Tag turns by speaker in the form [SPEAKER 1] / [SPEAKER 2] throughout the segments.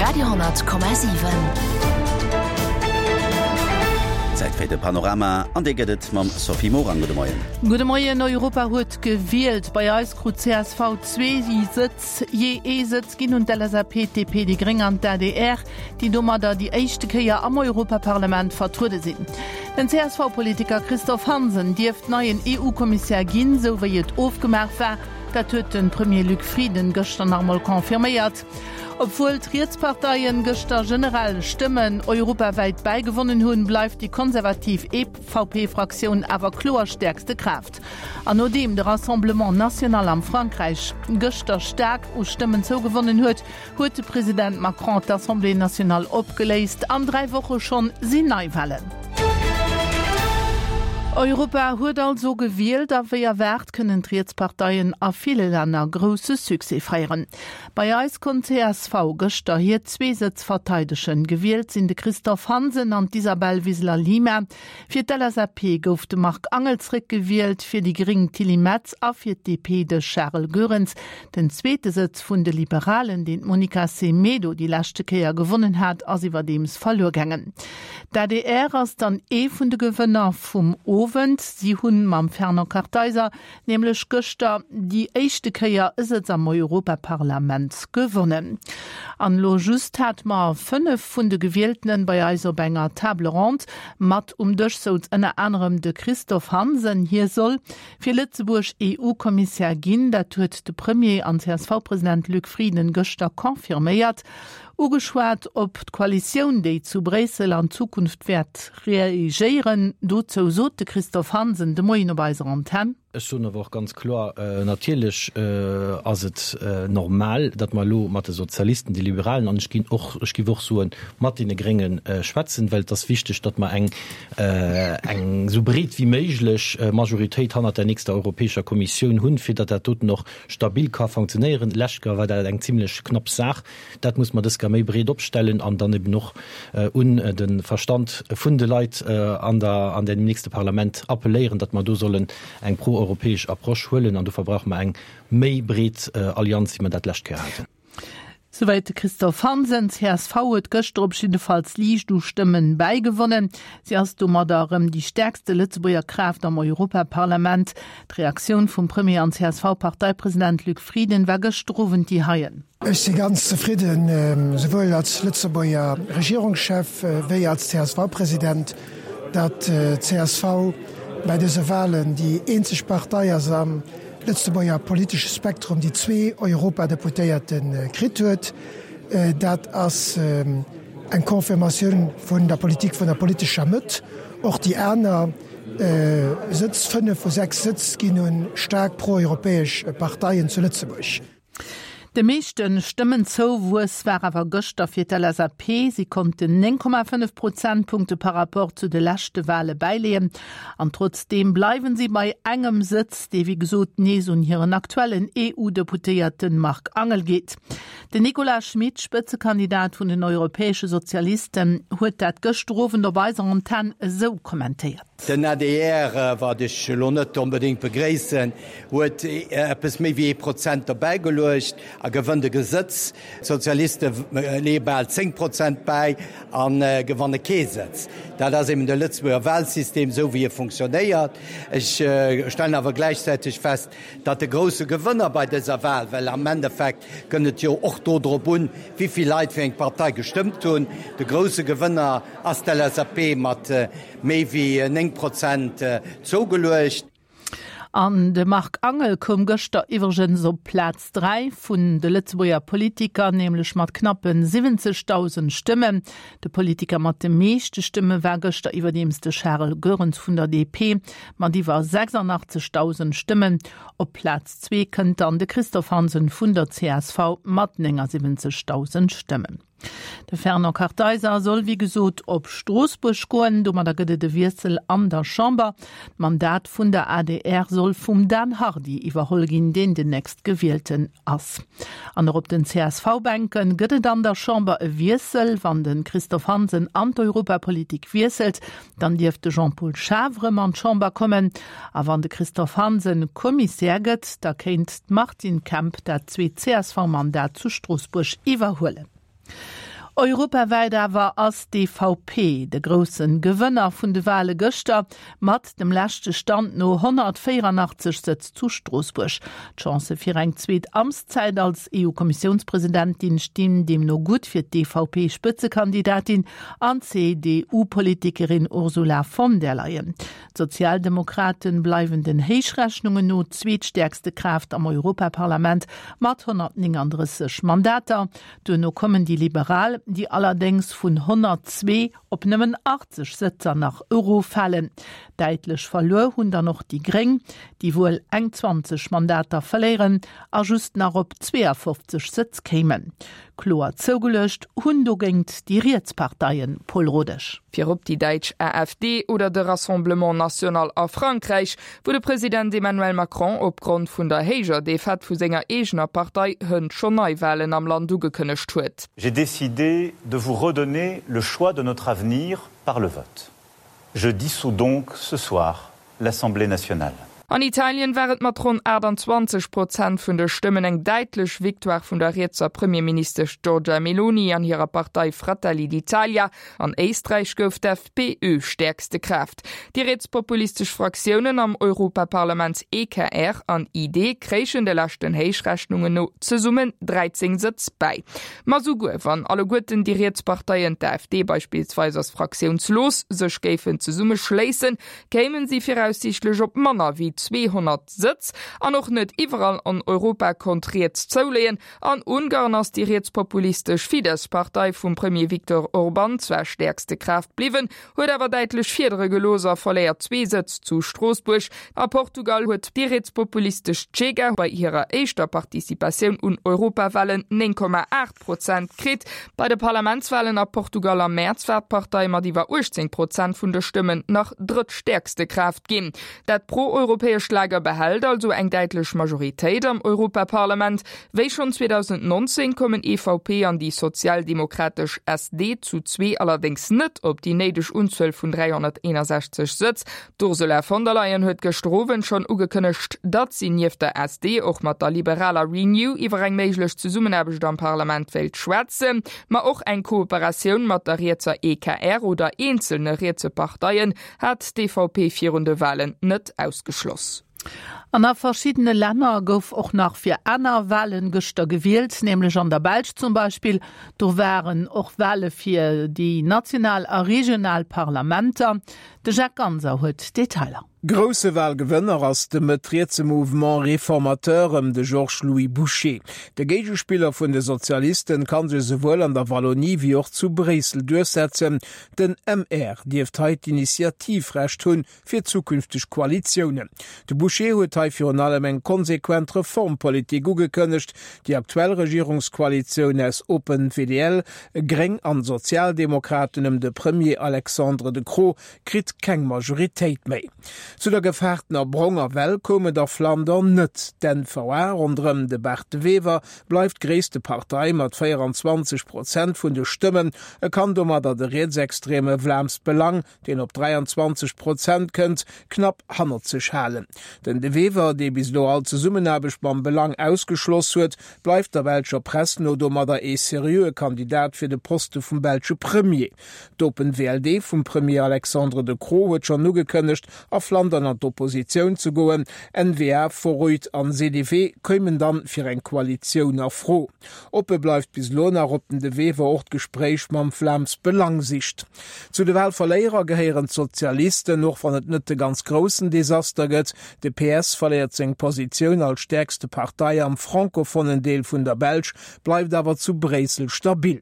[SPEAKER 1] Radio,7.
[SPEAKER 2] Zäit fir de Panorama an dee gëtt et mam Sophie Morang. Gudde Moien.
[SPEAKER 3] Gudde Moien. Europa huet gewielt. Bei eis krut csv zwee Sëtz, jee ee Sëtz ginn un d'LSAP, d'DP, déi Gréng an d'ADR, déi domadder déi éischte Kéier am Europaparlament vertruede sinn. Den CSV-Politiker Christophe Hansen dierft neien EU-Kommissär ginn, sou wéi et ofgemaach war. Dat huet de Premier Luc Frieden gëschter nach emol confirméiert. Obwuel d'Rietsparteien gëschter generell Stëmmen europawäit bäigewonnen hunn, bleift déi konservativ EVP-Fraktioun awer kloer stäerkste Kraaft. An nodeem de Rassemblement National am Frankräich gëschter staark u Stëmmen zougewonnen huet, huet de President Macron d'Assemblée nationale opgeléist. An 3 Woche schonn sinn Neiwahlen. Europa huet also gewielt a wéi erwaart kënnen d'Rietsparteien a ville Länner grousse Succès feieren. Bei eis konnt csv gëschter hir zwee Sëtz verteidegen. Gewielt sinn de Christophe Hansen an d'Isabel Wiseler-Lima. Fir d'LSAP gouf de Marc Angel zréckgewielt, fir déi Gréng d'Tilly Metz a fir d'DP de Charel Goerens. Den zweete Sëtz vun de Liberalen, deen d'Monica Semedo déi leschte Kéier gewonnen hat, ass iwwerdeems verluer gaangen. D'adr ass dann ee vun de Gewënner vum Owend. Si hunn mam Fernand Kartheiser nämlech gëschter déi éischte Kéier e Sëtz am Europaparlament gewonnen. An elo just hate mer 5 vun de Gewieltenen bei eis op enger Table ronde. Mat um Dësch souz ënner anerem de Christophe Hansen. Hie soll fir Lëtzebuerg EU-Kommissär ginn. Dat huet de Premier an CSV-President Luc Frieden gëschter confirméiert. Ugeschwat op d'Koalitioun, déi zu Bréissel an Zukunft wäert regéieren. Dozou sot de Christophe Hansen de Moien op eiser Antenn.
[SPEAKER 4] Ech soen awer och ganz kloer, Natierlech ass et normal, datt mer elo mat de Sozialisten, de Liberalen an ech ginn och, ech géif och soen, mat deene Grénge schwätzen, well et ass wichteg, datt mer eng eng esou breet wéi méiglech Majoritéit hannert der nächster Europäescher Kommissioun hunn, fir datt dat doten och stabil ka funktionéieren. Lescht Joer war dat eng zimlech knapp Saach. Dat muss mer dës Kéier méi breet opstellen an dann eben och un de Verstand vun de Leit an der, an deem nächste Parlament appelléieren, datt mer do sollen eng proeuropäesch Approche huelen. An dofir brauche mer eng méi breet Allianz, wéi mer dat d'lescht Kéier haten.
[SPEAKER 3] Souwäit de Christophe Hansen. Csv huet gëschter op jiddefalls liicht u Stëmmen bäigewonnen. Si ass domadder erëm déi stäerkste Lëtzebuerger Kraaft am Europaparlament. D'Reaktioun vum Premier an CSV-Parteipresident Luc Frieden war gëschter Owend déi heien.
[SPEAKER 5] Ech si ganz zefridden, souwuel als Lëtzebuerger Regierungschef wéi als CSV-President, datt csv bei dëse Walen déi eenzeg Partei ass am Lëtzebuerger politesche Spektrum, déi zwee Europadeputéierte kritt huet. Dat ass eng Confirmatioun vun der Politik vun der politescher Mëtt. Och déi aner Sëtz, fënnef vu sechs Sëtz, ginn u staark pro-europäesch Parteien zu Lëtzebuerg.
[SPEAKER 3] De meeschte Stëmmenzouwuess war awer gëschter fir d'LSAP. Si konnten 9,5 Prozentpunkte par rapport zu de leschte Wale bäileeën. An trotzdeem bleiwen si bei engem Sëtz, dee wéi gesot nees un hiren aktuellen EU-Deputéierte Marc Angel geet. Den Nicolas Schmit, Spëtzekandidat vun den Europäesche Sozialisten, huet dat gëschter Owend op eiser Antenn esou kommentéiert.
[SPEAKER 6] Den adr, wat ech elo net onbedéngt begréissen, huet eppes méi wéi ee Prozent derbäigeluecht a gewënnt e Sëtz. D'Sozialiste leeë bal 10 Prozent bäi a gewanne kee Sëtz. Dat ass eben de Lëtzebuerger Wahlsystem, esou wéi e funktionéiert. Ech stellen awer gläichzäiteg fest, datt de grousse Gewënner bei dëser Wahl, well am Endeffekt kënnt et jo och do drop un, wéi vill Leit fir eng Partei gestëmmt hunn, de grousse Gewënner ass d'LSAP mat Méi wéi 9 Prozent zougeluecht.
[SPEAKER 3] An de Marc Angel koum gëschter iwwregens op Plaz 3 vun de Lëtzebuerger Politiker, nämlech mat knappe 70.000 Stëmmen. De Politiker mat de meeschte Stëmme war gëschter iwwerdeems de Charel Goerens vun der DP mat iwwer 86.000 Stëmmen. Op Plaz zwee kënnt dann de Christophe Hansen vun der csv mat 79.000 Stëmmen. De Fernand Kartheiser soll wéi gesot op Stroossbuerg goen. Domadder gëtt et e Wiessel an der Chamber. D'Mandat vun der adr soll vum Dan Hardy iwwerholl ginn, deen den nächstgewielten ass. An och op den CSV-Bänke gëtt et an der Chamber e Wiessel. Wann de Christophe Hansen an d'Europapolitik wiesselt, dann dierft de Jean-Paul Schaaf erëm an d'Chamber kommen. A wann de Christophe Hansen Kommissär gëtt, da kéint d'Martine Kemp dat zweet CSV-Mandat zu Stroossbuerg iwwerhuelen. Europawäit awer ass d'EVP de grousse Gewënner vun de Wale gëschter, mat dem leschte Stand no 184 Sëtz zu Stroossbuerg. D'Chancë fir eng zweet Amtszäit als EU-Kommissiounspresidentin stinn deemno gutt fir d'EVP-Spëtzekandidatin an d'CDU-Politikerin Ursula von der Leyen. D'Sozialdemokraten bleiwen den Héichrechnungen no zweetstäerkste Kraaft am Europaparlament mat 139 Mandater. Duerno kommen déi Liberal, déi allerdéngs vun 102 op nëmmen 80 Sëtzer nach eroffalen. Däitlech verluer hunn dann och déi Gréng, déi wuel eng 20 Mandater verléieren a just nach op 52 Sëtz kéimen. Kloer zougeluecht hunn dogéint déi riets Parteien, Paul Rodesch.
[SPEAKER 1] Virop déi däitsch AfD oder de Rassemblement National a Frankräich, wou de President Emmanuel Macron opgrond vun der héijer Defaite vu senger eegener Partei hënt schonn Neiwalen am Land ugekënnegt huet.
[SPEAKER 7] J'ai décidé de vous redonner le choix de notre avenir par le vote. Je dissous donc ce soir l'Assemblée nationale.
[SPEAKER 1] An Italien war et mat ronn 28 Prozent vun de Stëmmen eng däitlech Victoire vun der rietser Premierministesch Giorgia Meloni an hirer Partei Fratelli d'Italia. An Éisträich gouf d'FPÖ stäerkste Kraaft. Déi rietspopulistesch Fraktiounen am Europaparlament EKR an ID kréichen de leschten Héichrechnungen no zesummen 13 Sëtz bäi. Ma souguer wann alleguerten déi riets Parteien, d'AfD beispillsweis ass fraktiounslos, sech géifen zesummeschléissen, kéimen si viraussiichtlech op manner wéi 200 Sëtz. An och net iwwerall an Europa konnt riets zouleeën. An Ungarn ass déi rietspopulistesch Fidesz-Partei vum Premier Viktor Orban zwar stäerkste Kraaft bliwwen, huet awer däitlech Fiedere gelooss a verléiert zwee Sëtz zu Stroossbuerg. A Portugal huet déi rietspopulistesch Chega bei hirer éischter Participatioun un Europawalen 9,8 Prozent kritt. Bei de Parlamentswalen a Portugal am Mäerz war d'Partei mat iwwer 18 Prozent vun de Stëmmen nach drëttstäerkste Kraaft ginn. Dat pro-europäescht Lager behält also eng däitlech Majoritéit am Europaparlament. Wéi schonn 2019 kommen EVP an déi sozialdemokratesch SD zu zwee allerdéngs net op déi néideg Unzuel vun 361 Sëtz. D'Ursula von der Leyen huet gëschter Owend schonn ugekënnegt, datt si nieft der SD och mat der liberaler Renew iwwer eng méiglech Zesummenaarbecht am Parlament wéilt schwätzen. Ma och eng Kooperatioun mat der rietser EKR oder eenzelne rietse Parteien hat d'EVP virun de Walen net ausgeschloss.
[SPEAKER 3] An a verschiddene Länner gouf och nach fir aner Walen gëschter gewielt, nämlech an der Belsch zum Beispill. Do waren och Wale fir déi national a regional Parlamenter. De Jacques Ganser huet d'Detailer.
[SPEAKER 8] Grousse Walgewënner ass de mëtt-rietse Mouvement Réformateur ëm de Georges-Louis Bouchez. De Géigespiller vun de Sozialisten ka sech esouwuel an der Wallonie wéi och zu Bréissel duerchsetzen. Den MR dierft hei d'Initiativrecht hunn fir zukünfteg Koalitiounen. De Bouchez huet hei virun allem eng konsequent Reformpolitik ugekënnegt. Déi aktuell Regierungskoalitioun aus Open-VDL, Gréng an Sozialdemokraten ëm de Premier Alexandre De Croo kritt keng Majoritéit méi. Zu der gefaartener bronger Well koum et a Flandern net. D'N-VA ronderëm de Bart De Wever bleift gréisste Partei mat 24 Prozent vun de Stëmmen. E kann domadder de rietsextreme Vlaams Belang, deen op 23 Prozent kënnt, knapp hannert sech halen. Den De Wever, dee bis elo all Zesummenaarbecht mam Belang ausgeschloss huet, bleift der belscher Press no domadder ee seriöe Kandidat fir de Poste vum belsche Premier. D'Open VLD vum Premier Alexandre De Croo huet schonn ugekënnegt, a Flandern an d'Oppositioun ze goen. N-VA, Vooruit an CDV kéimen dann fir eng Koalitioun a Fro. Oppe bleift bis elo nach, ob den De Wever och d'Gespréich mam Vlaams Belang sicht. Zu de Walverléierer gehéieren d'Sozialisten, och wann et net de ganz groussen Desaster gëtt. De PS verléiert seng Positioun als stäerkste Partei am francophonen Deel vun der Belsch, bleift awer zu Bréissel stabil.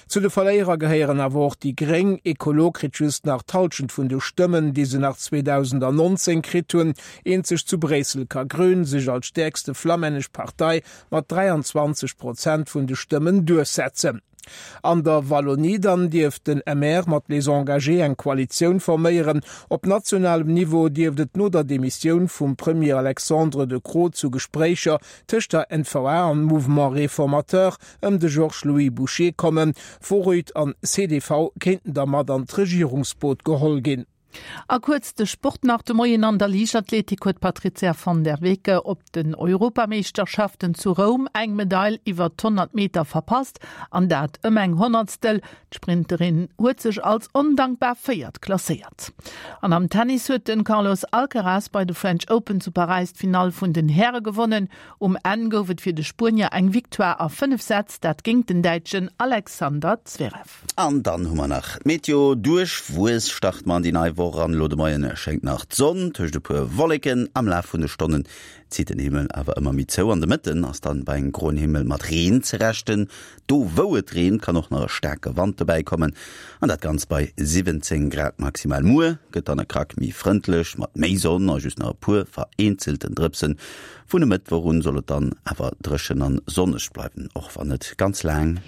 [SPEAKER 8] Zu de Verléierer gehéieren awer och déi Gréng. Ecolo kritt just nach d'Hallschent vun de Stëmmen, déi se nach 2019 kritt hunn. Eenzeg zu Bréissel ka Grün sech als stäerkste flammännesch Partei mat 23 Prozent vun de Stëmmen duerchsetzen. An der Wallonie dann dierft den MR mat Les Engagés eng Koalitioun forméieren. Op nationalem Niveau dierft et no der Demissioun vum Premier Alexandre De Croo zu Gespréicher tëscht der N-VA an Mouvement Réformateur ëm de Georges-Louis Bouchez kommen. Vooruit an csv kéinten da mat an d'Regierungsboot geholl ginn.
[SPEAKER 3] A kuerz de Sport nach de Moien, An der Liichtathletik huet d'Patrizia van der Weke op den Europameeschterschaften zu Roum eng Medail iwwer d'100 Meter verpasst, an dat ëm eng Honnertstel. D'Sprinterin huet sech als ondankbar Véiert klasséiert. An am Tennis huet de Carlos Alcaraz bei de French Open zu Paräis d'Finall vun den Häre gewonnen. Um Enn gouf et fir de Spuenier eng Victoire a 5 Sätz, dat géint den Däitschen Alexander Zverev.
[SPEAKER 2] An dann hu mer nach d'Meteo, Duerchwuess starte mer an déi nei Woch an. Elo de Moien schéngt nach d'Sonn tëscht e puer Wolleken. Am Laf vun de Stonnen zitt den Himmel awer ëmmer méi zou. An de Mëtten ass dann bei engem groen Himmel mat Reen ze rechnen. Do wou et reent, kann och nach e staarke Wand dobäi kommen, an dat Ganzt bei 17 Grad maximal. Muer gëtt dann e Krack méi frëndlech mat méi Sonn a just nach e puer vereenzelten Drëpsen. Vun e Mëttwoch un soll et dann awer dréchen an sonneg bleiwen, och wann net ganz laang.